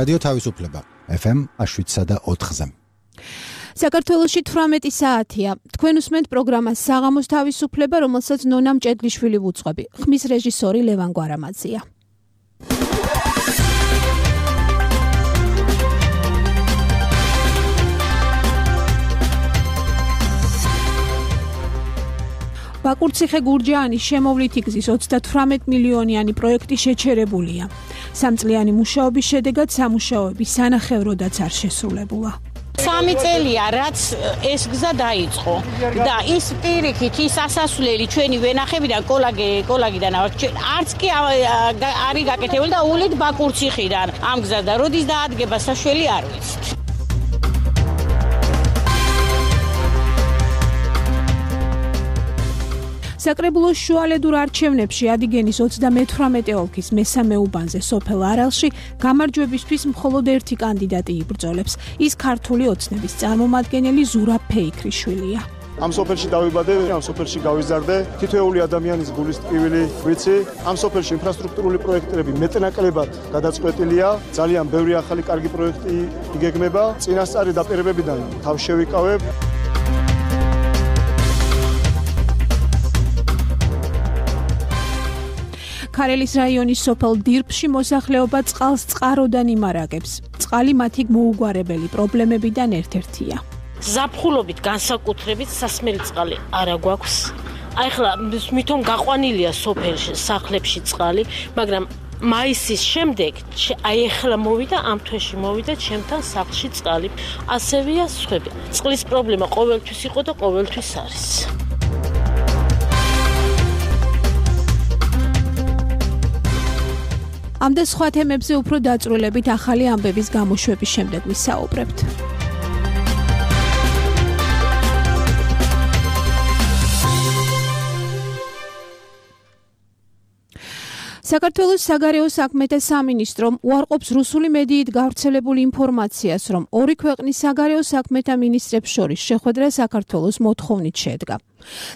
რადიო თავისუფლება FM 7.4-ზე. საქართველოში 18 საათია. თქვენ უსმენთ პროგრამას საღამოს თავისუფლება, რომელსაც ნონა მჭედლიშვილი ვუძღვები. ხმის რეჟისორი ლევან გვარამაძია. ბაკურციხე-გურჯაანის შემოვლითი გზის 38 მილიონიანი პროექტი შეჩერებულია. სამწლიანი მუშაობის შედეგად სამუშაოები სანახევროდაც არ შესრულებულა. 3 წელია, რაც ეს გზა დაიწყო და ის პირიქით ის ასასვლელი ჩვენი ვენახებიდან კოლაგიდან არც კი არის გაკეთებული და ულით ბაკურციხიდან ამ გზა და როდის დაადგება საშველი არ ვიცით. საკრებულოს შუალედურ არჩევნებში ადიგენის 38 ოლქის მესამე უბანზე სოფელ არალში გამარჯვებისთვის მხოლოდ ერთი კანდიდატი იბრძოლებს. ის ქართული ოცნების წარმომადგენელი ზურაბ ფეიქრიშვილია. ამ სოფელში დავიბადე, ამ სოფელში გავიზარდე, თითოეული ადამიანის გულის ტკივილი ვიცი. ამ სოფელში ინფრასტრუქტურული პროექტები მეტნაკლებად გადაწყვეტილია. ძალიან ბევრი ახალი კარგი პროექტი იგეგმება. წინასწარი დაპირებებიდან თავს შევიკავებ. ქარელის რაიონის სოფელ დირბში მოსახლეობა წყალს წყაროდან იმარაგებს. წყალი მათი მოუგვარებელი პრობლემებიდან ერთ-ერთია. ზაფხულობით განსაკუთრებით სასმელი წყალი არა გვაქვს. ახლა მithom გაყვანილია სოფელში, სახლებში წყალი, მაგრამ მაისის შემდეგ ახლა მოვიდა, ამ თვეში მოვიდა ჩემთან სახლში წყალი. ასევეა სხვები. წყლის პრობლემა ყოველთვის იყო და ყოველთვის არის. ამ და სხვა თემებზე უფრო დაწვრილებით ახალი ამბების გამოშვების შემდეგ ვისაუბრებთ. საქართველოს საგარეო საქმეთა სამინისტრომ უარყოფს რუსული მედიით გავრცელებულ ინფორმაციას, რომ ორი ქვეყნის საგარეო საქმეთა მინისტრებს შორის შეხვედრა საქართველოს მოთხოვნით შედგა.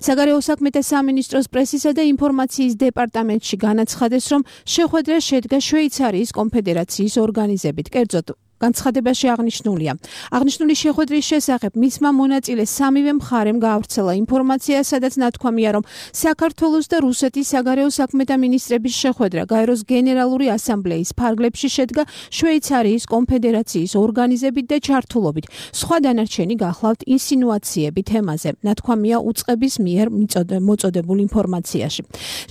საგარეო საქმეთა სამინისტროს პრესისა და ინფორმაციის დეპარტამენტში განაცხადეს, რომ შეხვედრა შედგა შვეიცარიის კონფედერაციის ორგანიზებით, კერძოდ განცხადებაში აღნიშნულია. აღნიშნული შეხვედრის შესახებ მისმა მონაწილეს სამივე მხარემ გაავრცელა ინფორმაცია, სადაც ნათქვამია, რომ საქართველოს და რუსეთის საგარეო საქმეთა მინისტრების შეხვედრა გაეროს გენერალური ასამბლეის ფარგლებში შედგა შვეიცარიის კონფედერაციის ორგანიზებით და ჩართულობით. სხვა დანარჩენი გახლავთ ინსინუაციები თემაზე, ნათქვამია უწყების მიერ მოწოდებულ ინფორმაციაში.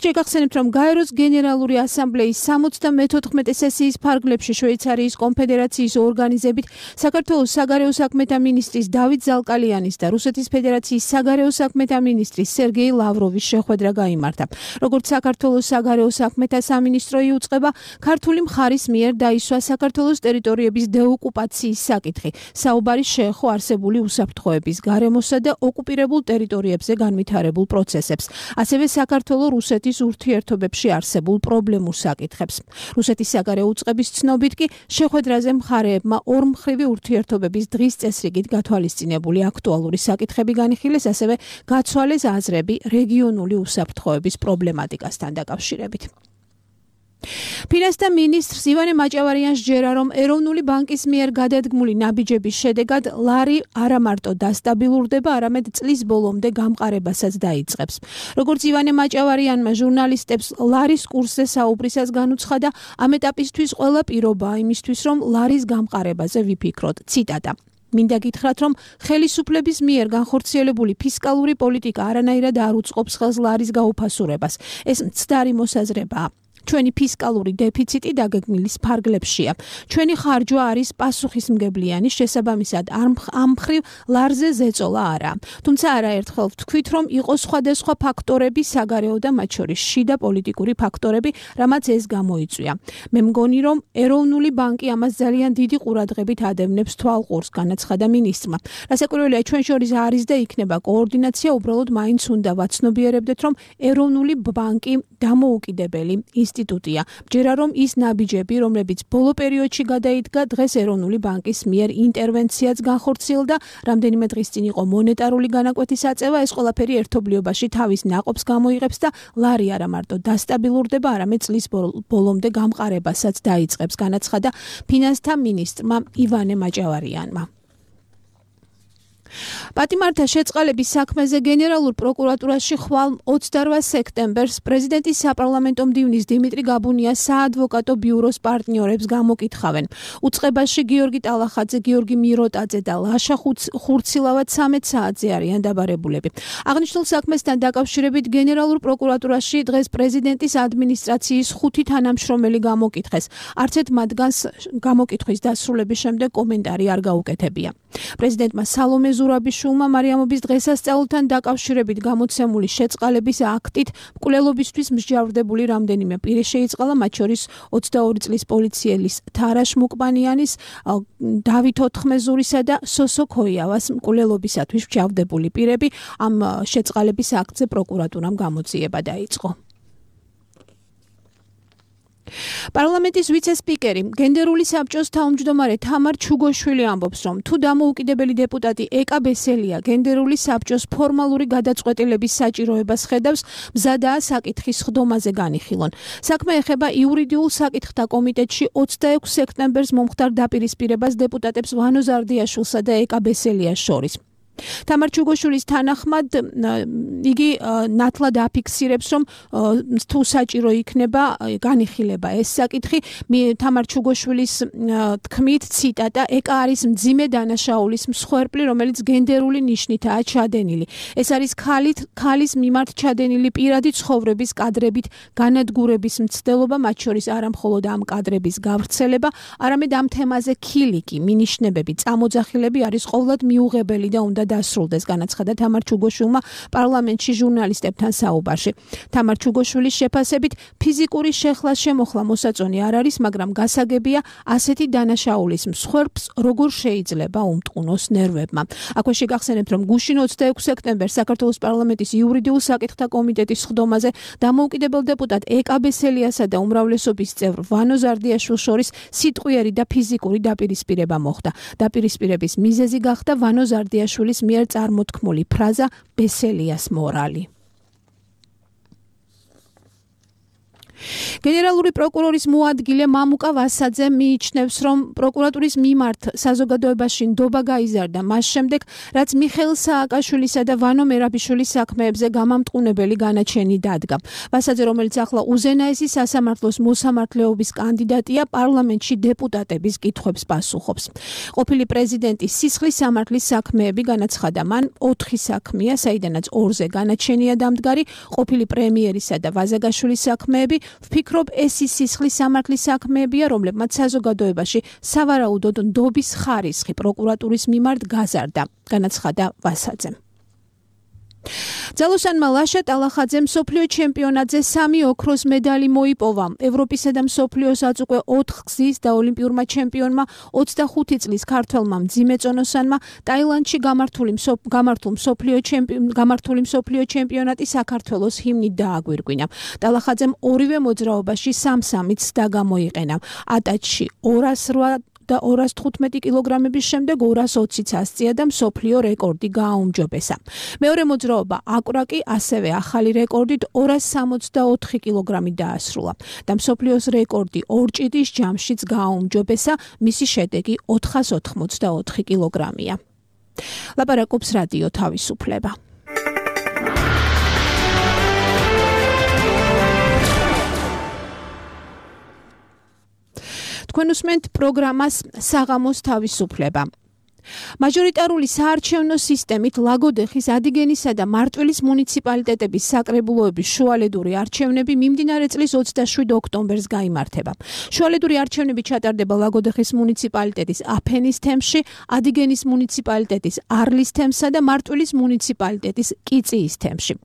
შეგახსენებთ, რომ გაეროს გენერალური ასამბლეის 74 სესიის ფარგლებში შვეიცარიის კონფედერაციის ორგანიზებით საქართველოს საგარეო საქმეთა მინისტრის დავით ზალკალიანის და რუსეთის ფედერაციის საგარეო საქმეთა მინისტრის სერგეი ლავროვის შეხვედრა გაიმართა. როგორც საქართველოს საგარეო საქმეთა სამინისტრო იუწყება, ქართული მხარის მიერ დაისვა საქართველოს ტერიტორიების დეოკუპაციის საკითხი. საუბარი შეეხო არსებული უსაფრთხოების, გარემოსა და ოკუპირებულ ტერიტორიებზე განვითარებულ პროცესებს, ასევე საქართველოს-რუსეთის ურთიერთობებში არსებულ პრობლემურ საკითხებს. რუსეთის საგარეო უწყების ცნობით კი შეხვედრაზე მხარეებმა ორმხრივი ურთიერთობების დღის წესრიგით გათვალისწინებული აქტუალური საკითხები განიხილეს, ასევე გაცვალეს აზრები რეგიონული უსაფრთხოების პრობლემატიკასთან დაკავშირებით. ფინანსთა მინისტრს ივანე მაჭავარიანს ჯერა, რომ ეროვნული ბანკის მიერ გადადგმული ნაბიჯების შედეგად ლარი არა მარტო დასტაბილურდება, არამედ წლის ბოლომდე გამყარებასაც დაიწყებს. როგორც ივანე მაჭავარიანმა ჟურნალისტებს ლარის კურსზე საუბრისას განუცხადა, ამ ეტაპისთვის ყველა პირობაა იმისთვის, რომ ლარის გამყარებაზე ვიფიქროთ. ციტატა. მინდა გითხრათ, რომ ხელისუფლების მიერ განხორციელებული ფისკალური პოლიტიკა არანაირად არ უწყობს ხელს ლარის გაუფასურებას. ეს მცდარი მოსაზრებაა. ჩვენი ფისკალური დეფიციტი დაგეგმილის ფარგლებშია. ჩვენი ხარჯვა არის პასუხისმგებლიანი, შესაბამისად ამ მხრივ ლარზე ზეწოლა არა. თუმცა არაერთხელ ვთქვით, რომ იყო სხვადასხვა ფაქტორები საგარეო და მათ შორის შიდა პოლიტიკური ფაქტორები, რამაც ეს გამოიწვია. მე მგონი, რომ ეროვნული ბანკი ამას ძალიან დიდი ყურადღებით ადევნებს თვალყურს, განაცხადა მინისტრმა. რასაკვირველია, ჩვენ შორის არის და იქნება კოორდინაცია, უბრალოდ მაინც უნდა ვაცნობიერებდეთ, რომ ეროვნული ბანკი დამოუკიდებელი ინსტიტუტია. მჯერა რომ ის ნაბიჯები, რომლებიც ბოლო პერიოდში გადაიდგა, დღეს ეროვნული ბანკის მიერ ინტერვენციაც განხორციელდა, რამდენიმე დღის წინ იყო მონეტარული განაკვეთის აწევა, ეს ყველაფერი ერთობლიობაში თავის ნაყოფს გამოიღებს და ლარი არა მარტო დასტაბილურდება, არამედ წლის ბოლომდე გამყარებასაც დაიწყებს, განაცხადა ფინანსთა მინისტრმა ივანე მაჭავარიანმა. პატიმართა შეწყალების საქმეზე გენერალურ პროკურატურაში ხვალ 28 სექტემბერს პრეზიდენტის საპარლამენტო მდივნის დიმიტრი გაბუნია საადვოკატო ბიუროს პარტნიორებს გამოკითხავენ. უწყებაში გიორგი ტალახაძე, გიორგი მიროტაძე და ლაშა ხურცილავა 13 საათზე არიან დაბარებულები. აღნიშნულ საქმესთან დაკავშირებით გენერალურ პროკურატურაში დღეს პრეზიდენტის ადმინისტრაციის 5 თანამშრომელი გამოკითხეს. არც ერთ მათგანს გამოკითხვის დასრულების შემდეგ კომენტარი არ გაუკეთებია. პრეზიდენტმა სალომე ზურაბიშვილმა მარიამობის დღესასწაულთან დაკავშირებით გამოცემული შეწყალების აქტით მკვლელობისთვის მსჯავრდებული რამდენიმე პირი შეიწყალა, მათ შორის 22 წლის პოლიციელის თარაშ მუკპანიანის, დავით ოთხმეზურისა და სოსო ქოიავას მკვლელობისათვის მსჯავრდებული პირები. ამ შეწყალების აქტზე პროკურატურამ გამოძიება დაიწყო. პარლამენტის ვიცე-სპიკერი, გენდერული საბჭოს თავმჯდომარე თამარ ჩუგოშვილი ამბობს, რომ თუ დამოუკიდებელი დეპუტატი ეკა ბესელია გენდერული საბჭოს ფორმალური გადაწყვეტილების საჭიროებას ხედავს, მზადაა საკითხის ხდომაზე განიხილონ. საქმე ეხება იურიდიულ საკითხთა კომიტეტში 26 სექტემბერს მომხდარ დაპირისპირებას დეპუტატებს ვანო ზარდიაშვილსა და ეკა ბესელიას შორის. თამარ ჩუგოშვილის თანახმად იგი ნათლად აფიქსირებს, რომ თუ საჭირო იქნება განიხილება ეს საკითხი. თამარ ჩუგოშვილის თქმით, ციტატა, ეკა არის მძიმე დანაშაულის მსხვერპლი, რომელიც გენდერული ნიშნითაა ჩადენილი. ეს არის ქალის მიმართ ჩადენილი პირადი ცხოვრების კადრებით განადგურების მცდელობა, მათ შორის არა მხოლოდ ამ კადრების გავრცელება, არამედ ამ თემაზე ქილიკი, მინიშნებები, წამოძახილები არის ყოვლად მიუღებელი და უნდა დასრულდეს, განაცხადა თამარ ჩუგოშვილმა პარლამენტში ჟურნალისტებთან საუბარში. თამარ ჩუგოშვილის შეფასებით ფიზიკური შეხლა შემოხლა მოსაწონი არ არის, მაგრამ გასაგებია ასეთი დანაშაულის მსხვერპლს როგორ შეიძლება უმტყუნოს ნერვებმა. აქვე შეგახსენებთ, რომ გუშინ 26 სექტემბერს საქართველოს პარლამენტის იურიდიულ საკითხთა კომიტეტის ხდომაზე დამოუკიდებელ დეპუტატ ეკა ბესელიასა და უმრავლესობის წევრ ვანო ზარდიაშვილს შორის სიტყვიერი და ფიზიკური დაპირისპირება მოხდა. დაპირისპირების მიზეზი გახდა ვანო ზარდიაშვილის მიერ წარმოთქმული ფრაზა ბესელიას მორალი. გენერალური პროკურორის მოადგილე მამუკა ვასაძე მიიჩნევს, რომ პროკურატურის მიმართ საზოგადოებაში ნდობა გაიზარდა მას შემდეგ, რაც მიხეილ სააკაშვილისა და ვანო მერაბიშვილის საქმეებზე გამამტყუნებელი განაჩენი დადგა. ვასაძე, რომელიც ახლა უზენაესი სასამართლოს მოსამართლეობის კანდიდატია, პარლამენტში დეპუტატების კითხვებს პასუხობს. ყოფილი პრეზიდენტის სისხლის სამართლის საქმეები, განაცხადა მან, 4 საქმეა, საიდანაც 2-ზე განაჩენია დამდგარი, ყოფილი პრემიერისა და ვაზაგაშვილის საქმეები. ვფიქრობ, ეს ის სისხლის სამართლის საქმეებია, რომლებმაც საზოგადოებაში სავარაუდოდ ნდობის ხარისხი პროკურატურის მიმართ გაზარდა, განაცხადა ვასაძემ. ძალოსანმა ლაშა ტალახაძემ მსოფლიო ჩემპიონატზე 3 ოქროს მედალი მოიპოვა. ევროპისა და მსოფლიოსაც უკვე 4 გზის და ოლიმპიურმა ჩემპიონმა 25 წლის ქართველმა მძიმე წონოსანმა ტაილანდში გამართული მსოფლიო ჩემპიონატი საქართველოს ჰიმნით დააგვირგვინა. ტალახაძემ ორივე მოძრაობაში 3-3-იც დაგამოიყენა. ატაჩში 208 და 215 კილოგრამების შემდეგ 220-იც ასწია და მსოფლიო რეკორდი გააუმჯობესა. მეორე მოძრაობა აკვრაკი ასევე ახალი რეკორდით 264 კილოგრამით დაასრულა და მსოფლიოს რეკორდი ორჭიდის ჯამშიც გააუმჯობესა, მისი შედეგი 484 კილოგრამია. ლაპარაკობს რადიო თავისუფლება. თქვენ უსმენთ პროგრამას საღამოს თავისუფლება. მაჟორიტარული საარჩევნო სისტემით ლაგოდეხის, ადიგენისა და მარტვილის მუნიციპალიტეტების საკრებულოების შუალედური არჩევნები მიმდინარე წლის 27 ოქტომბერს გაიმართება. შუალედური არჩევნები ჩატარდება ლაგოდეხის მუნიციპალიტეტის აფენის თემში, ადიგენის მუნიციპალიტეტის არლის თემსა და მარტვილის მუნიციპალიტეტის კიწიის თემში.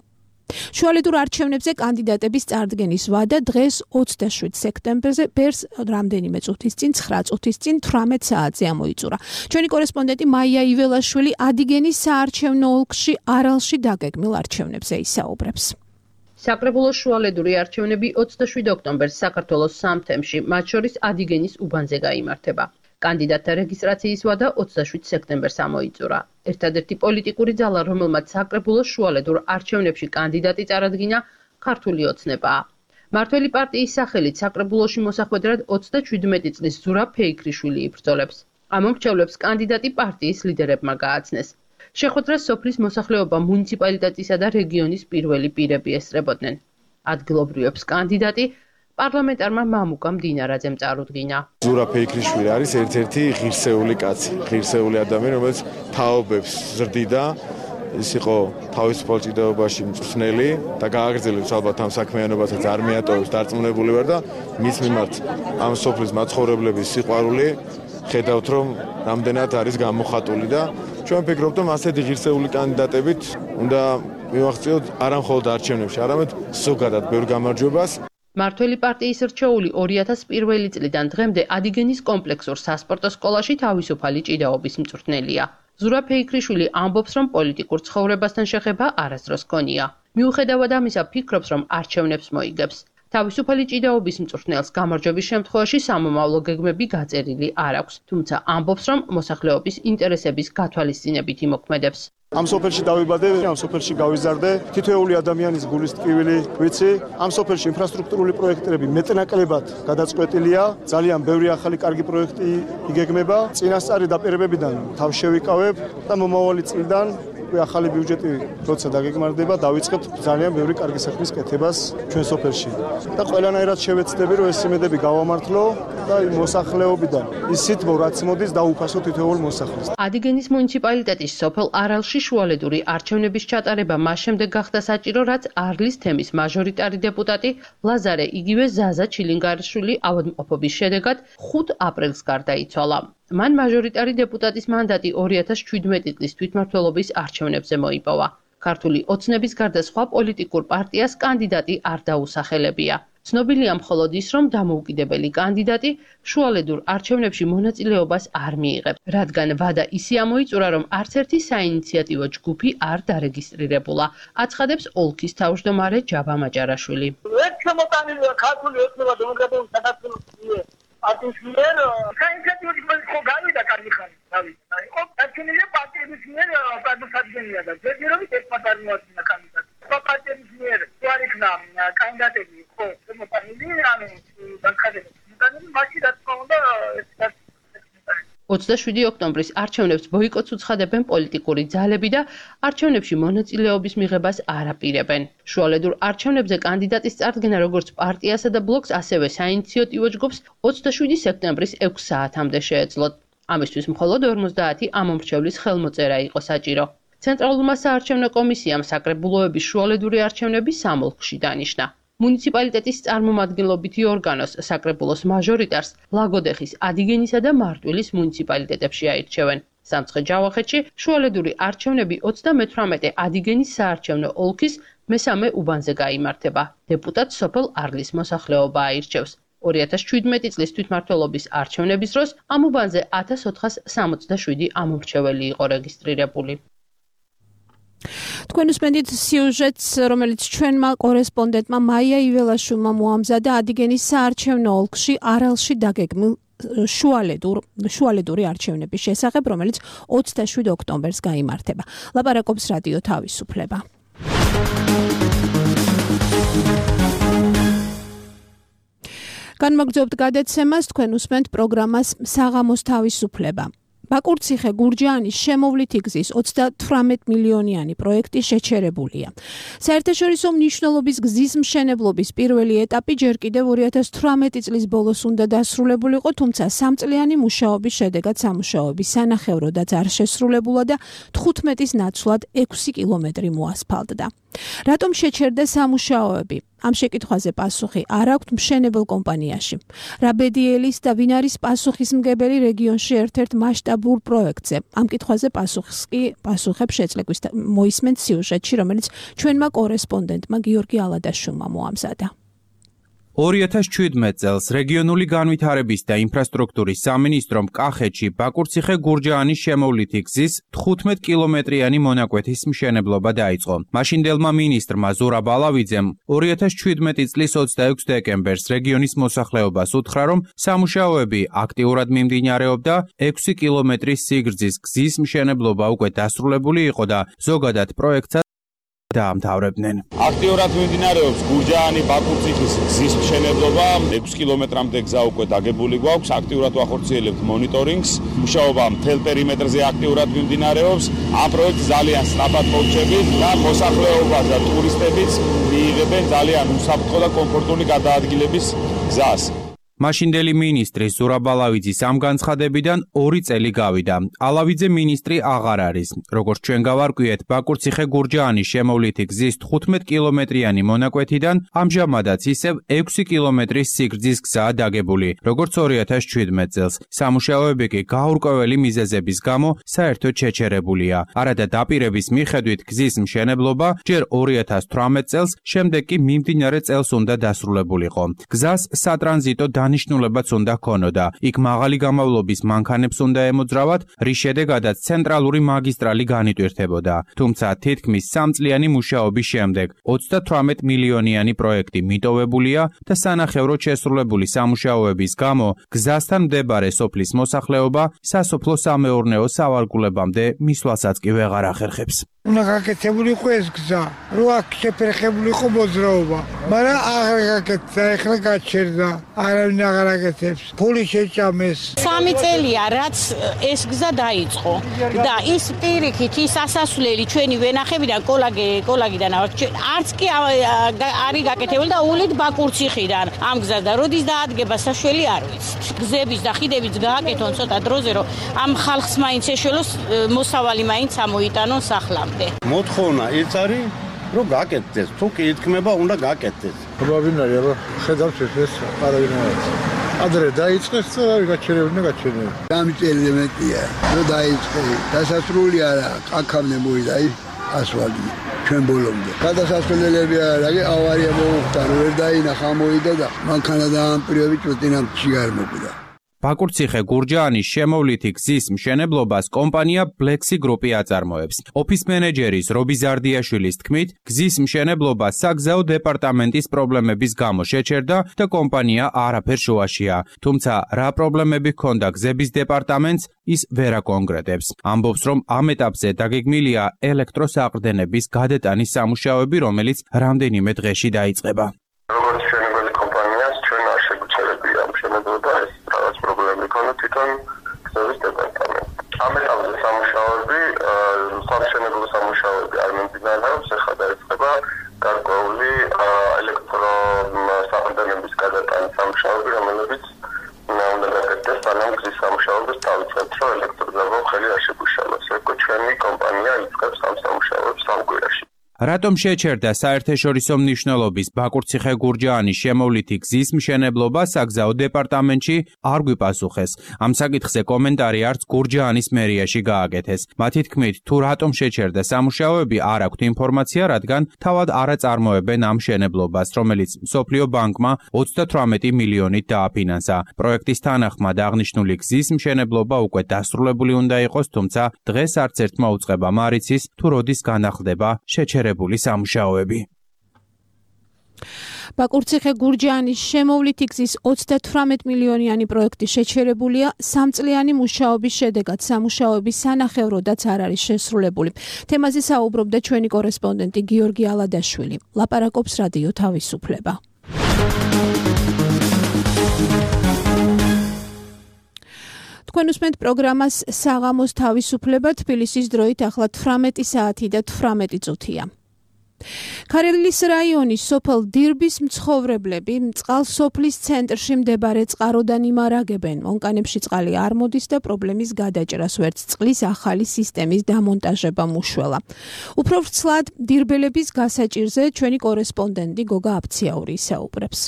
შუალედურ არჩევნებზე კანდიდატების წარდგენის ვადა დღეს 27 სექტემბერზე ბერს რამდენიმე წუთის წინ 9 წუთის წინ 18 საათზე ამოიწურა. ჩვენი კორესპონდენტი მაია იველაშვილი ადიგენის საარჩევნო ოლქში არალში დაგეგმილ არჩევნებზე ისაუბრებს. საკრებულოს შუალედური არჩევნები 27 ოქტომბერს საქართველოს სამ თემში, მათ შორის ადიგენის უბანზე გაიმართება. კანდიდატთა რეგისტრაციის ვადა 27 სექტემბერს ამოიწურა. ერთადერთი პოლიტიკური ძალა, რომელმაც საკრებულოს შუალედურ არჩევნებში კანდიდატი წარადგინა, ქართული ოცნებაა. მართველი პარტიის სახელით საკრებულოში მოსახვედრად 37 წლის ზურაბ ფეიქრიშვილი იბრძოლებს. ამ მომრჩევლებს კანდიდატი პარტიის ლიდერებმა გააცნეს. შეხვედრას სოფლის მოსახლეობა მუნიციპალიტეტისა და რეგიონის პირველი პირები ესწრებოდნენ. ადგილობრივებს კანდიდატი პარლამენტარმა მამუკა მდინარაძემ წარუდგინა. ზურაბ ფეიქრიშვილი არის ერთ-ერთი ღირსეული კაცი, ღირსეული ადამიანი, რომელიც თაობებს ზრდიდა. ის იყო თავისუფალ ჭიდაობაში მწვრთნელი და გააგრძელებს ალბათ ამ საქმიანობასაც არ მიატოვებს, დარწმუნებული ვარ და მის მიმართ ამ სოფლის მაცხოვრებლების სიყვარული ხედავთ, რომ რამდენად არის გამოხატული და ჩვენ ვფიქრობთ, რომ ასეთი ღირსეული კანდიდატებით უნდა მივახციოთ არა მხოლოდ არჩევნებში, არამედ ზოგადად ბევრ გამარჯვებას. მართველი პარტიის რჩეული 2001 წლიდან დღემდე ადიგენის კომპლექსურ სასპორტო სკოლაში თავისუფალი ჭიდაობის მწვრთნელია. ზურაბ ფეიქრიშვილი ამბობს, რომ პოლიტიკურ ცხოვრებასთან შეხება არასდროს ჰქონია. მიუხედავად ამისა, ფიქრობს, რომ არჩევნებს მოიგებს. თავისუფალი ჭიდაობის მწვრთნელს გამარჯვების შემთხვევაში სამომავლო გეგმები გაწერილი არ აქვს, თუმცა ამბობს, რომ მოსახლეობის ინტერესების გათვალისწინებით იმოქმედებს. ამ სოფელში დავიბადე, ამ სოფელში გავიზარდე, თითოეული ადამიანის გულის ტკივილი ვიცი. ამ სოფელში ინფრასტრუქტურული პროექტები მეტნაკლებად გადაწყვეტილია, ძალიან ბევრი ახალი კარგი პროექტი იგეგმება. წინასწარი დაპირებებიდან თავს შევიკავებ და მომავალი წლიდან ახალი ბიუჯეტი როცა დაგეგმარდება, დავიწყებთ ძალიან ბევრი კარგი საქმის კეთებას ჩვენ სოფელში. და ყველანაირად შევეცდები, რომ ეს იმედები გავამართლო და მოსახლეობიდან ისიც რაც მოდის დაუფასო თითოეულ მოსახლეს. ადიგენის მუნიციპალიტეტის სოფელ არალში შუალედური არჩევნების ჩატარება მას შემდეგ გახდა საჭირო, რაც არლის თემის მაჟორიტარი დეპუტატი ლაზარე იგივე ზაზა ჩილინგარიშვილი ავადმყოფობის შედეგად 5 აპრილს გარდაიცვალა. მან მაჟორიტარი დეპუტატის მანდატი 2017 წლის თვითმმართველობის არჩევნებზე მოიპოვა. ქართული ოცნების გარდა სხვა პოლიტიკურ პარტიას კანდიდატი არ დაუსახელებია. ცნობილია მხოლოდ ის, რომ დამოუკიდებელი კანდიდატი შუალედურ არჩევნებში მონაწილეობას არ მიიღებს, რადგან ვადა ისე ამოიწურა, რომ არც ერთი საინიციატივო ჯგუფი არ დარეგისტრირებულა, აცხადებს ოლქის თავმჯდომარე ჯაბა მაჯარაშვილი. ერთ შემოტანილია ქართული ოცნება დემოკრატიული საქართველოს პარტიის მიერ საინიციატივო ჯგუფი ხო გავიდა კარგი ხანი, გავიდა. იყო არჩევნილი პარტიების მიერ გადასადგენია და ჯერჯერობით ერთმანეთს არ მოაწინა კანდიდატი. პარტიების მიერ არ იქნა კანდიდატები ხო შემოტანილი, ანუ განხადებული. მაშინ რა თქმა უნდა 27 ოქტომბრის არჩევნებს ბოიკოტს უცხადებენ პოლიტიკური ძალები და არჩევნებში მონაწილეობის მიღებას არ აპირებენ. შუალედურ არჩევნებზე კანდიდატის წარდგენა როგორც პარტიასა და ბლოკს, ასევე საინიციატივო ჯგუფს 27 სექტემბრის 6 საათამდე შეეძლოთ. ამისთვის მხოლოდ 50 ამომრჩევლის ხელმოწერა იყო საჭირო. ცენტრალურმა საარჩევნო კომისიამ საკრებულოების შუალედური არჩევნები სამ ოლქში დანიშნა. მუნიციპალიტეტის წარმომადგენლობითი ორგანოს საკრებულოს მაჟორიტარს ლაგოდეხის, ადიგენისა და მარტვილის მუნიციპალიტეტებში აირჩევენ. სამცხე-ჯავახეთში შუალედური არჩევნები 38 ადიგენის საარჩევნო ოლქის მესამე უბანზე გაიმართება. დეპუტატ სოფელ არლის მოსახლეობა აირჩევს. 2017 წლის თვითმმართველობის არჩევნების დროს ამ უბანზე 1467 ამომრჩეველი იყო რეგისტრირებული. თქვენ უსმენთ სიუჟეტს, რომელიც ჩვენმა კორესპონდენტმა მაია იველაშვილმა მოამზადა ადიგენის საარჩევნო ოლქში არალში დაგეგმილ შუალედური არჩევნების შესახებ, რომელიც 27 ოქტომბერს გაიმართება. ლაპარაკობს რადიო თავისუფლება. განმოგრძობთ გადაცემას, თქვენ უსმენთ პროგრამას საღამოს თავისუფლება. ბაკურციხე გურჯაანის შემოვლითი გზის 38 მილიონიანი პროექტი შეჩერებულია. საერთაშორისო მნიშვნელობის გზის მშენებლობის პირველი ეტაპი ჯერ კიდევ 2018 წლის ბოლოს უნდა დასრულებულიყო, თუმცა სამწლიანი მუშაობის შედეგად სამუშაოები სანახევროდაც არ შესრულებულა და 15-ის ნაცვლად 6 კილომეტრი მოასფალტდა. რატომ შეჩერდა სამუშაოები? ამ შეკითხვაზე პასუხი არ აქვთ მშენებელ კომპანიაში. რა ბედიელის და ვინ არის პასუხისმგებელი რეგიონში ერთ-ერთ მასშტაბურ პროექტზე? ამ კითხვაზე პასუხებს შეძლებს მოისმენთ სიუჟეტში, რომელიც ჩვენმა კორესპონდენტმა გიორგი ალადაშვილმა მოამზადა. 2017 წელს რეგიონული განვითარების და ინფრასტრუქტურის სამინისტრომ კახეთში ბაკურციხე-გურჯაანის შემოვლითი გზის 15 კილომეტრიანი მონაკვეთის მშენებლობა დაიწყო. მაშინდელმა მინისტრმა ზურაბ ალავიძემ 2017 წლის 26 დეკემბერს რეგიონის მოსახლეობას უთხრა, რომ სამუშაოები აქტიურად მიმდინარეობდა, 6 კილომეტრის სიგრძის გზის მშენებლობა უკვე დასრულებული იყო და ზოგადად პროექტსაც დაამთავრებდნენ. აქტიურად მიმდინარეობს გურჯაანი-ბაკურციხის გზის მშენებლობა, 6 კილომეტრამდე გზა უკვე დაგებული გვაქვს, აქტიურად ვახორციელებთ მონიტორინგს, მუშაობა მთელ პერიმეტრზე აქტიურად მიმდინარეობს. ამ პროექტს ძალიან სწრაფად მოვჭებით და მოსახლეობა და ტურისტებიც მიიღებენ ძალიან უსაფრთხო და კომფორტული გადაადგილების გზას. მაშინდელი მინისტრი ზურაბ ალავიძის ამ განცხადებიდან 2 წელი გავიდა. ალავიძე მინისტრი აღარ არის. როგორც ჩვენ გავარკვიეთ, ბაკურციხე-გურჯაანის შემოვლითი გზის 15 კილომეტრიანი მონაკვეთიდან ამჟამადაც ისევ 6 კილომეტრის სიგრძის გზაა დაგებული, როგორც 2017 წელს. სამუშაოები კი გაურკვეველი მიზეზების გამო საერთოდ შეჩერებულია. არადა დაპირების მიხედვით გზის მშენებლობა ჯერ 2018 წელს, შემდეგ კი მიმდინარე წელს უნდა დასრულებულიყო. გზას სატრანზიტო დანიშნულებაც უნდა ჰქონოდა. იქ მაღალი გამავლობის მანქანებს უნდა ემოძრავათ, რის შედეგადაც ცენტრალური მაგისტრალი განიტვირთებოდა. თუმცა თითქმის 3 წლიანი მუშაობის შემდეგ 38 მილიონიანი პროექტი მიტოვებულია და სანახევროდ შესრულებული სამუშაოების გამო გზასთან მდებარე სოფლის მოსახლეობა სასოფლო-სამეურნეო სავარგულებამდე მისვლასაც კი ვეღარ ახერხებს. უნდა გაკეთებული იყო ეს გზა, რო აქ შეფერხებული იყო მოძრაობა, მაგრამ აღარ გაკეთდა, ეხლა გაჩერდა, არავინ აღარ აკეთებს, ფული შეჭამეს. 3 წელია, რაც ეს გზა დაიწყო და ის პირიქით ის ასასვლელი ჩვენი ვენახებიდან კოლაგიდან არც კი არის გაკეთებული და ულით ბაკურციხიდან ამ გზას და როდის დაადგება საშველი არ ვიცით. გზების და ხიდებიც გააკეთონ ცოტა დროზე, რომ ამ ხალხს მაინც ეშველოს მოსავალი მაინც ამოიტანონ სახლამდე. მოთხოვნა ის არის, რომ გაკეთდეს, თუ კი ითქმება, უნდა გაკეთდეს. პრობლემაა, რომ ხედავს ეს არავინ არ არის. ადრე დაიწყეს და გაჩერებინა. 3 წელი მეტია, რომ დაიწყე. დასასრული არა, აქამდე მოვიდა ასვალი ჩვენ ბოლომდე. გადასასვლელები არ არის, ავარია მოუხდა, ვერ დაინახა, მოვიდა და მანქანა დაამპირები წვეტინამში არ მოკვდა. ბაკურციხე-გურჯაანის შემოვლითი გზის მშენებლობას კომპანია Blexi Group-ი აწარმოებს. ოფის მენეჯერის რობი ზარდიაშვილის თქმით, გზის მშენებლობა საგზაო დეპარტამენტის პრობლემების გამო შეჩერდა და კომპანია არაფერ შუაშია. თუმცა რა პრობლემები ჰქონდა გზების დეპარტამენტს, ის ვერ აკონკრეტებს. ამბობს, რომ ამ ეტაპზე დაგეგმილია ელექტროსაყრდენების გადატანის სამუშაოები, რომელიც რამდენიმე დღეში დაიწყება. თვითონ გზების დეპარტამენტი. ამ ეტაპზე სამუშაოები არ მიმდინარეობს, ახლა დაიწყება გარკვეული ელექტროსაყრდენების გადატანის სამუშაოები, რომელებიც უნდა გაკეთდეს სანამ გზის სამუშაოების დავიწყებთ, რომ ელექტროძაბო ხელი არ შეგუშალოს. ეგ ჩვენი კომპანია იწყებს ამ სამუშაოებს 3 კვირაში. რატომ შეჩერდა საერთაშორისო მნიშვნელობის ბაკურციხე-გურჯაანის შემოვლითი გზის მშენებლობა საგზაო დეპარტამენტში არ გვიპასუხეს. ამ საკითხზე კომენტარი არც გურჯაანის მერიაში გააკეთეს. მათი თქმით, თუ რატომ შეჩერდა სამუშაოები, არ აქვთ ინფორმაცია, რადგან თავად არ აწარმოებენ ამ მშენებლობას, რომელიც მსოფლიო ბანკმა 38 მილიონით დააფინანსა. პროექტის თანახმად აღნიშნული გზის მშენებლობა უკვე დასრულებული უნდა იყოს, თუმცა დღეს არც ერთმა უწყებამ არ იცის, თუ როდის განახლდება შეჩერებული სამუშაოები. ბაკურციხე-გურჯაანის შემოვლითი გზის 38 მილიონიანი პროექტი შეჩერებულია 3 წლიანი მუშაობის შედეგად. სამუშაოები სანახევროდაც არ არის შესრულებული. თემაზე საუბრობდა ჩვენი კორესპონდენტი გიორგი ალადაშვილი. ლაპარაკობს რადიო თავისუფლება. თქვენ უსმენთ პროგრამას საღამოს თავისუფლება, თბილისის დროით ახლა 18 საათი და 18 წუთია. ქარელის რაიონის სოფელ დირბის მცხოვრებლები წყალსოფლის ცენტრში მდებარე წყაროდან იმარაგებენ. მონკანებში წყალი არ მოდის და პრობლემის გადაჭრას ვერც წყლის ახალი სისტემის დამონტაჟება მუშველა. უფრო ვრცლად დირბელების გასაჭირზე ჩვენი კორესპონდენტი გოგა აფციაური ისაუბრებს.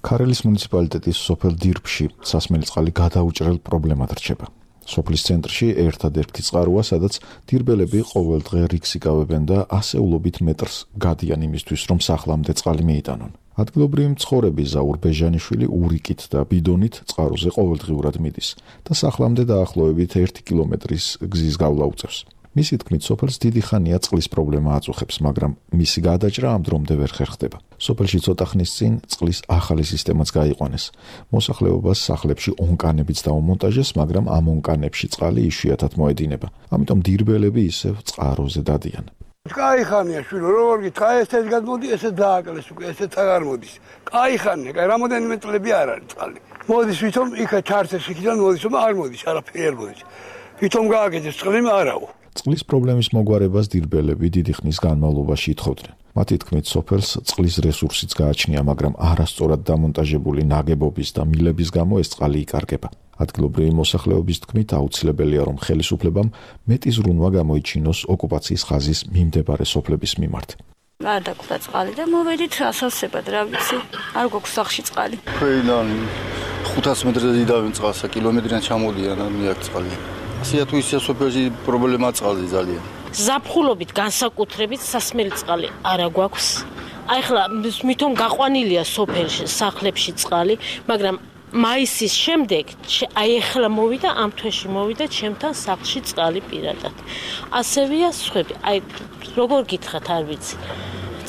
ქარელის მუნიციპალიტეტის სოფელ დირბში სასმელი წყალი გადაუჭრელ პრობლემად რჩება. სოფლის ცენტრში ერთადერთი წყაროა, სადაც დირბელები ყოველდღე რიგს იკავებენ და ასეულობით მეტრს გადიან იმისთვის, რომ სახლამდე წყალი მიიტანონ. ადგილობრივი მცხოვრები ზაურ ბეჟანიშვილი ურიკით და ბიდონით წყაროზე ყოველდღიურად მიდის და სახლამდე დაახლოებით 1 კილომეტრის გზის გავლა უწევს. მისი თქმით, სოფელს დიდი ხანია წყლის პრობლემა აწუხებს, მაგრამ მისი გადაჭრა ამ დრომდე ვერ ხერხდება. სოფელში ცოტა ხნის წინ წყლის ახალი სისტემაც გაიყვანეს. მოსახლეობას სახლებში ონკანებიც დაუმონტაჟეს, მაგრამ ამ ონკანებში წყალი იშვიათად მოედინება. ამიტომ დირბელები ისევ წყაროზე დადიან. კაი ხანია შვილო, როგორ გითხრა, ესეც გადმოდი, ესეც დააკლეს უკვე, ესეც აღარ მოდის. კაი ხანია, კაი რამოდენიმე წლები არ არის წყალი. მოდის ვითომ იქა ჩარცეს იქიდან მოდის, არ მოდის, არაფერი არ მოდის. ვითომ გააკეთეს წყალი, არაო. წყლის პრობლემის მოგვარებას დირბელები დიდი ხნის განმავლობაში ითხოვდნენ. მათი თქმით, სოფელს წყლის რესურსიც გააჩნია, მაგრამ არასწორად დამონტაჟებული ნაგებობის და მილების გამო ეს წყალი იკარგება. ადგილობრივი მოსახლეობის თქმით, აუცილებელია, რომ ხელისუფლებამ მეტი ზრუნვა გამოიჩინოს ოკუპაციის ხაზის მიმდებარე სოფლების მიმართ. არ დაგხვდა წყალი და მოვედით ასავსებად, რა ვიცი, არ გვაქვს სახლში წყალი. ქვეიდან 500 მეტრზე დიდავენ წყალს, კილომეტრიდან ჩამოდიან, არ მიაქვს წყალი. ასეა თუ ისე სოფელში პრობლემაა წყალზე ძალიან. ზაფხულობით განსაკუთრებით სასმელი წყალი არა გვაქვს. აი ხლა მithom გაყვანილია სოფელში, სახლებში წყალი, მაგრამ მაისის შემდეგ აი ახლა მოვიდა ამ თვეში მოვიდა ჩემთან სახლში წყალი პირადად. ასევეა სხვები. აი როგორ გითხრათ არ ვიცი.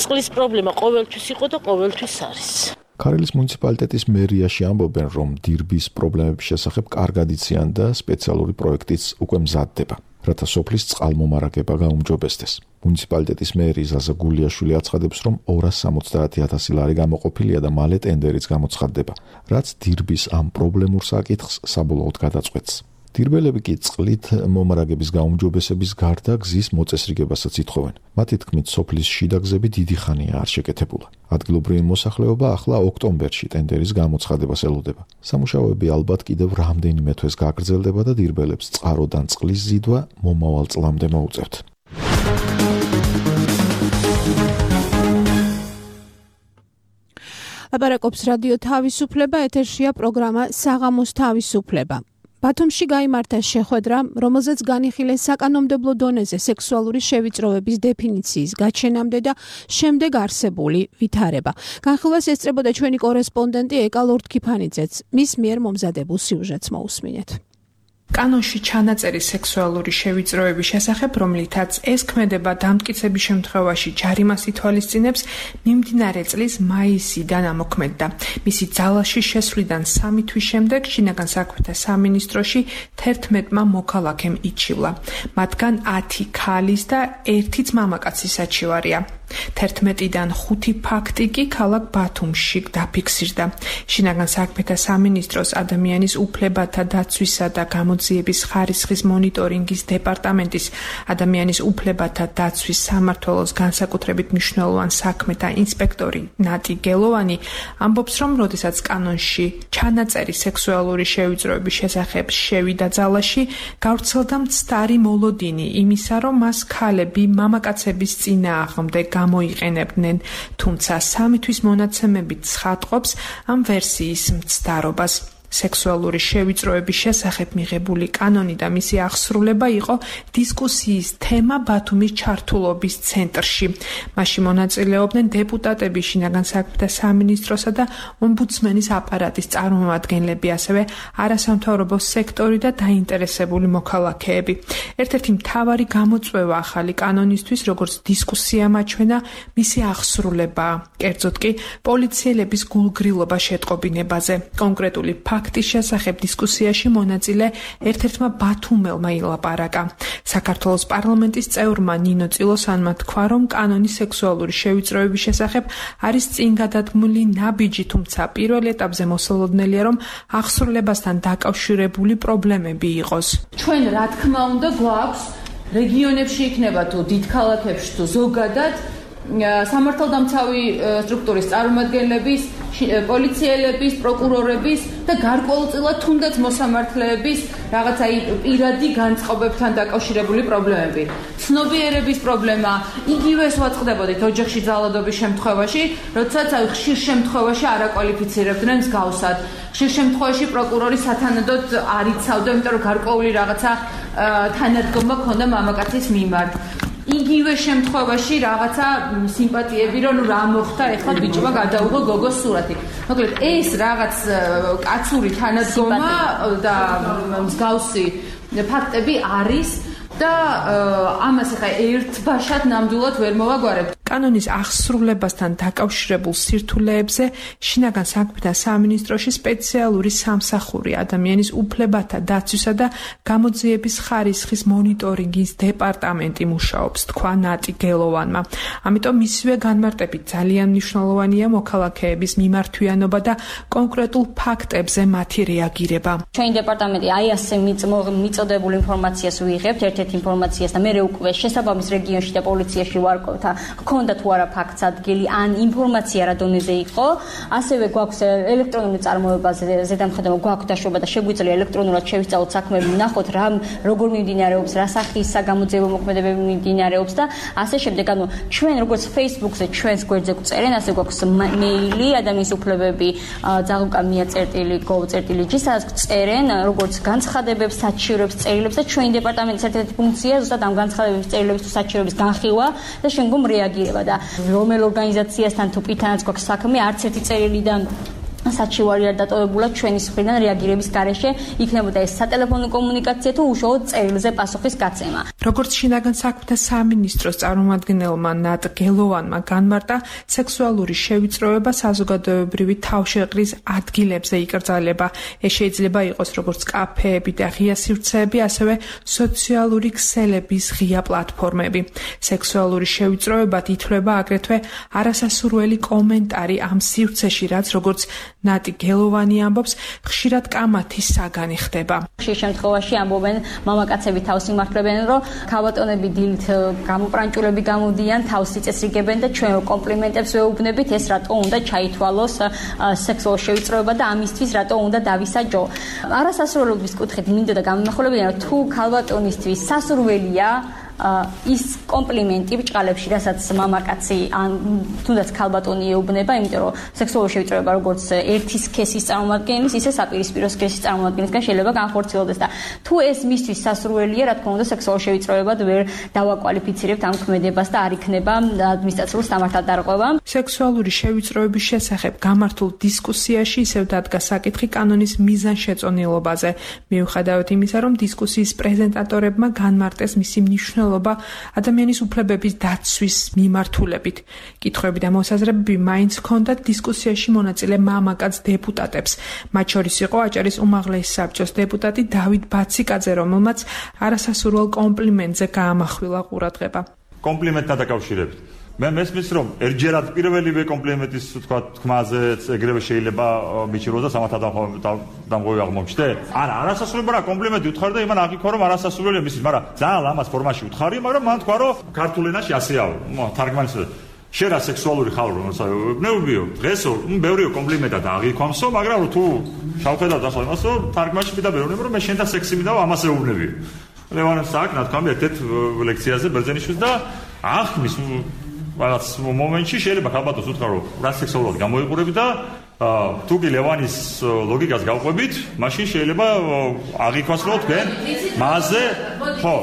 წყლის პრობლემა ყოველთვის იყო და ყოველთვის არის. ქარელის მუნიციპალიტეტის მერიაში ამბობენ, რომ დირბის პრობლემების შესახებ კარგად იციან და სპეციალური პროექტიც უკვე მზადდება, რათა სოფლის წყალმომარაგება გაუმჯობესდეს. მუნიციპალიტეტის მერი ზაზა გულიაშვილი აცხადებს, რომ 270,000 ლარი გამოყოფილია და მალე ტენდერიც გამოცხადდება, რაც დირბის ამ პრობლემურ საკითხს საბოლოოდ გადაწყვეტს. დირბელები კი წყლით მომარაგების გაუმჯობესების გარდა გზის მოწესრიგებასაც ითხოვენ. მათი თქმით, სოფლის შიდა გზები დიდი ხანია არ შეკეთებულა. ადგილობრივი მოსახლეობა ახლა ოქტომბერში ტენდერის გამოცხადებას ელოდება. სამუშაოები ალბათ კიდევ რამდენიმე თვეს გაგრძელდება და დირბელებს წყაროდან წყლის ზიდვა მომავალ წლამდე მოუწევთ. ლაპარაკობს რადიო თავისუფლება, ეთერშია პროგრამა საღამოს თავისუფლება. ბათუმში გაიმართა შეხვედრა, რომელზეც განიხილეს საკანონმდებლო დონეზე სექსუალური შევიწროების დეფინიციის გაჩენამდე და შემდეგ არსებული ვითარება. განხილვას ესწრებოდა ჩვენი კორესპონდენტი ეკა ლორდ-ქიფანიძეც. მის მიერ მომზადებულ სიუჟეტს მოусმინეთ. კანონში ჩანაწერი სექსუალური შევიწროების შესახებ, რომლითაც ეს ქმედება დამტკიცების შემთხვევაში ჯარიმას ითვალისწინებს, მიმდინარე წლის მაისიდან ამოქმედდა. მისი ძალაში შესვლიდან 3 თვის შემდეგ შინაგან საქმეთა სამინისტროში 11-მა მოქალაქემ იჩივლა. მათგან 10 ქალის და 1 მამაკაცის საჩივარია. 11-დან 5 ფაქტი კი ქალაქ ბათუმში დაფიქსირდა. შინაგან საქმეთა სამინისტროს ადამიანის უფლებათა დაცვისა და გამოძიების ხარისხის მონიტორინგის დეპარტამენტის ადამიანის უფლებათა დაცვის სამმართველოს განსაკუთრებით მნიშვნელოვან საქმეთა ინსპექტორი ნატი გელოვანი ამბობს, რომ როდესაც კანონში ჩანაწერი სექსუალური შევიწროების შესახებ შევიდა ძალაში, გავრცელდა მცდარი მოლოდინი იმისა, რომ მას ქალები მამაკაცების წინააღმდეგ გამოიყენებდნენ, თუმცა 3 თვის მონაცემებით ცხადყოფს ამ ვერსიის მცდარობას. სექსუალური შევიწროების შესახებ მიღებული კანონი და მისი აღსრულება იყო დისკუსიის თემა ბათუმის ჩართულობის ცენტრში. მასში მონაწილეობდნენ დეპუტატები, შინაგან საქმეთა სამინისტროსა და ომბუდსმენის აპარატის წარმომადგენლები, ასევე არასამთავრობო სექტორი და დაინტერესებული მოქალაქეები. ერთ-ერთი მთავარი გამოწვევა ახალი კანონისთვის, როგორც დისკუსია მაჩვენა, მისი აღსრულებაა. კერძოდ კი პოლიციელების გულგრილობა შეტყობინებაზე. კონკრეტული ფაქტის შესახებ დისკუსიაში მონაწილე ერთ-ერთმა ბათუმელმა ილაპარაკა. საქართველოს პარლამენტის წევრმა ნინო წილოსანმა თქვა, რომ კანონის სექსუალური შევიწროების შესახებ არის წინ გადადგმული ნაბიჯი, თუმცა პირველ ეტაპზე მოსალოდნელია, რომ აღსრულებასთან დაკავშირებული პრობლემები იყოს. ჩვენ რა თქმა უნდა გვაქვს რეგიონებში იქნება თუ დიდ ქალაქებში თუ ზოგადად სამართალდამცავი სტრუქტურის წარმომადგენლების, პოლიციელების, პროკურორების და გარკვეულწილად თუნდაც მოსამართლეების რაღაცა პირადი განწყობებთან დაკავშირებული პრობლემები. ცნობიერების პრობლემა, იგივეს ვაწყდებოდით ოჯახში ძალადობის შემთხვევაში, როდესაც ხშირ შემთხვევაში არაკვალიფიცირებდნენ მსგავსად. ხშირ შემთხვევაში პროკურორი სათანადოდ არ იცავდა, იმიტომ რომ გარკვეული რაღაცა თანადგომა ქონდა მამაკაცის მიმართ. იგივე შემთხვევაში რაღაცა სიმპათიები, რომ რა მოხდა, ეხლა ბიჭმა გადაუღო გოგოს სურათი. მოკლედ, ეს რაღაც კაცური თანადგომა და მსგავსი ფაქტები არის და ამას ახლა ერთბაშად ნამდვილად ვერ მოვაგვარებთ. კანონის აღსრულებასთან დაკავშირებულ სირთულეებზე შინაგან საქმეთა სამინისტროში სპეციალური სამსახური ადამიანის უფლებათა დაცვისა და გამოძიების ხარისხის მონიტორინგის დეპარტამენტი მუშაობს, თქვა ნატი გელოვანმა. ამიტომ მისივე განმარტებით ძალიან მნიშვნელოვანია მოქალაქეების მიმართვიანობა და კონკრეტულ ფაქტებზე მათი რეაგირება. ჩვენი დეპარტამენტი აი ასე მიწოდებულ ინფორმაციას ვიღებთ, ერთ-ერთ ინფორმაციას და მე უკვე შესაბამის რეგიონში და პოლიციაში ვარკვევთ ქონდა თუ არა ფაქტს ადგილი ან ინფორმაცია რა დონეზე იყო, ასევე გვაქვს ელექტრონული წარმოებაზე ზედამხედველობა გვაქვს დაშვება და შეგვიძლია ელექტრონულად შევისწავლოთ საქმეები, ვნახოთ რა როგორ მიმდინარეობს, რა სახის საგამოძიებო მოქმედებები მიმდინარეობს და ასე შემდეგ. ანუ ჩვენ როგორც Facebook-ზე ჩვენს გვერდზე გვწერენ, ასე გვაქვს მეილი ადამიანის უფლებები @gov.gov.gr სადაც წერენ როგორც განცხადებებს, საჩივრებს, წერილებს და ჩვენი დეპარტამენტის ერთ-ერთი ფუნქცია ზუსტად ამ განცხადებების, წერილების თუ საჩივრების განხილვა და შემდგომ რეაგირება და რომელ ორგანიზაციასთან თუ პითანაც გვაქვს საქმე, არც ერთი წერილიდან საჩივარი არ დატოვებულა ჩვენი მხრიდან რეაგირების გარეშე იქნებოდა ეს სატელეფონო კომუნიკაცია თუ უშუალოდ წერილზე პასუხის გაცემა. როგორც შინაგან საქმეთა სამინისტროს წარმომადგენელმა ნატ გელოვანმა განმარტა, სექსუალური შევიწროება საზოგადოებრივი თავშეყრის ადგილებზე იკრძალება. ეს შეიძლება იყოს როგორც კაფეები და ღია სივრცეები, ასევე სოციალური ქსელების ღია პლატფორმები. სექსუალური შევიწროება ითვლება აგრეთვე არასასურველი კომენტარი ამ სივრცეში, რაც როგორც ნატი გელოვანი ამბობს, ხშირად კამათის საგანი ხდება. ხშირ შემთხვევაში ამბობენ მამაკაცები თავს იმართლებენ, რომ ქალბატონები დილით გამოპრანჭულები გამოდიან, თავს იწესრიგებენ და ჩვენ კომპლიმენტებს ვეუბნებით, ეს რატო უნდა ჩაითვალოს სექსუალური შევიწროება და ამისთვის რატო უნდა დავისაჯო. არასასურველობის კუთხით მინდა და გამონახულებია, რომ თუ ქალბატონისთვის სასურველია ის კომპლიმენტი ბჭყალებში, რასაც მამაკაცი ან თუნდაც ქალბატონი ეუბნება, იმიტომ რომ სექსუალური შევიწროება როგორც ერთი სქესის წარმომადგენლის, ისე საპირისპირო სქესის წარმომადგენლისგან შეიძლება განხორციელდეს და თუ ეს მისთვის სასურველია, რა თქმა უნდა, სექსუალური შევიწროებად ვერ დავაკვალიფიცირებთ ამ ქმედებას და არ იქნება ადმინისტრაციულ სამართალ დარღვევა. სექსუალური შევიწროების შესახებ გამართულ დისკუსიაში ისევ დადგა საკითხი კანონის მიზანშეწონილობაზე. მიუხედავად იმისა, რომ დისკუსიის პრეზენტატორებმა განმარტეს მისი მნიშვნელობა ადამიანის უფლებების დაცვის მიმართულებით. კითხვები და მოსაზრებები მაინც ჰქონდათ დისკუსიაში მონაწილე მამაკაც დეპუტატებს. მათ შორის იყო აჭარის უმაღლესი საბჭოს დეპუტატი დავით ბაციკაძე, რომელმაც არასასურველ კომპლიმენტზე გაამახვილა ყურადღება. კომპლიმენტთან დაკავშირებით. მე მესმის რომ ერთჯერად პირველივე კომპლიმენტის თქვა თქმაზე ეგრევე შეიძლება მიჭიროს და სამართალდამღები აღმოჩნდე. არა, არასასურველი რა კომპლიმენტი უთხარ და იმან აღიქვა რომ არასასურველია მისთვის, მაგრამ ძალიან ლამაზ ფორმაში უთხარი, მაგრამ მან თქვა რომ ქართულ ენაში ასეა, თარგმანის შენ რა სექსუალური ხარ რომ ნეუბიო დღესო ბევრიო კომპლიმენტად აღიქვამსო, მაგრამ თუ შევხედავ ახლა იმას რომ თარგმანში მითხა ბევრნებ რომ მე შენ და სექსი მინდა ამას ეუბნებიო. ლევანებს აქ ნათქვამი ერთ-ერთ ლექციაზე ბერძენიშვილს და ახმის რაღაც მომენტში შეიძლება ქალბატონს უთხრა რომ რა სექსუალურად გამოიყურები და თუ კი ლევანის ლოგიკას გავყვებით, მაშინ შეიძლება აღიქვას რომ თქვენ მასზე ხო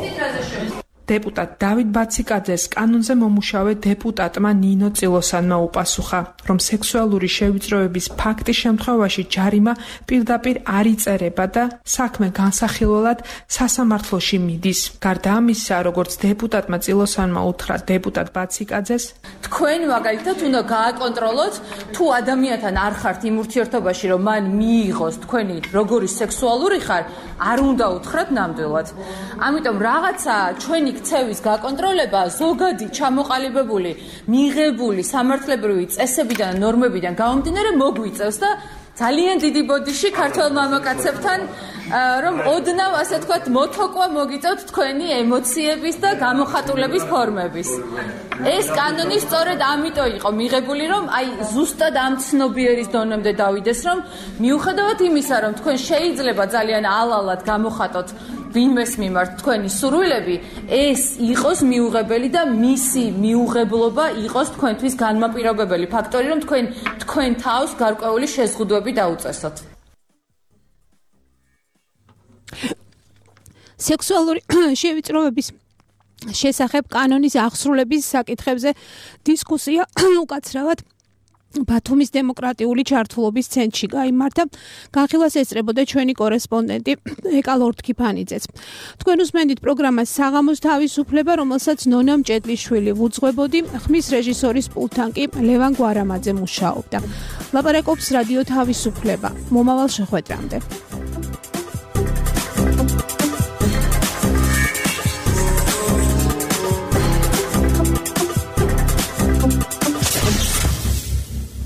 დეპუტატ დავით ბაციკაძეს კანონზე მომუშავე დეპუტატმა ნინო წილოსანმა უპასუხა, რომ სექსუალური შევიწროების ფაქტის შემთხვევაში ჯარიმა პირდაპირ არ იწერება და საქმე განსახილველად სასამართლოში მიდის. გარდა ამისა, როგორც დეპუტატმა წილოსანმა უთხრა დეპუტატ ბაციკაძეს, თქვენ მაგალითად უნდა გააკონტროლოთ, თუ ადამიანთან არ ხართ იმ ურთიერთობაში, რომ მან მიიღოს თქვენი როგორი სექსუალური ხარ, არ უნდა უთხრათ ნამდვილად. ამიტომ რაღაცა ჩვენი ქცევის გაკონტროლება ზოგადი ჩამოყალიბებული, მიღებული სამართლებრივი წესებიდან და ნორმებიდან გამომდინარე მოგვიწევს და ძალიან დიდი ბოდიში ქართველ მამაკაცებთან რომ ოდნავ ასე თქვათ მოთოკვა მოგიწევთ თქვენი ემოციების და გამოხატულების ფორმების. ეს კანონი სწორედ ამიტომ იყო მიღებული, რომ აი ზუსტად ამ ცნობიერის დონემდე დავიდეს, რომ მიუხედავად იმისა, რომ თქვენ შეიძლება ძალიან ალალად გამოხატოთ ვინმეს მიმართ თქვენი სურვილები, ეს იყოს მიუღებელი და მისი მიუღებლობა იყოს თქვენთვის განმაპირობებელი ფაქტორი, რომ თქვენ თავს გარკვეული შეზღუდვები დაუწესოთ. სექსუალური შევიწროების შესახებ კანონის აღსრულების საკითხებზე დისკუსია უკაცრავად ბათუმის დემოკრატიული ჩართულობის ცენტრში გაიმართა. განხილვას ესწრებოდა ჩვენი კორესპონდენტი ეკა ლორთქიფანიძეც. თქვენ უსმენთ პროგრამას საღამოს თავისუფლება, რომელსაც ნონა მჭედლიშვილი უძღვებოდი, ხმის რეჟისორის პულტთან კი ლევან გვარამაძე მუშაობდა. ლაპარაკობს რადიო თავისუფლება. მომავალ შეხვედრამდე.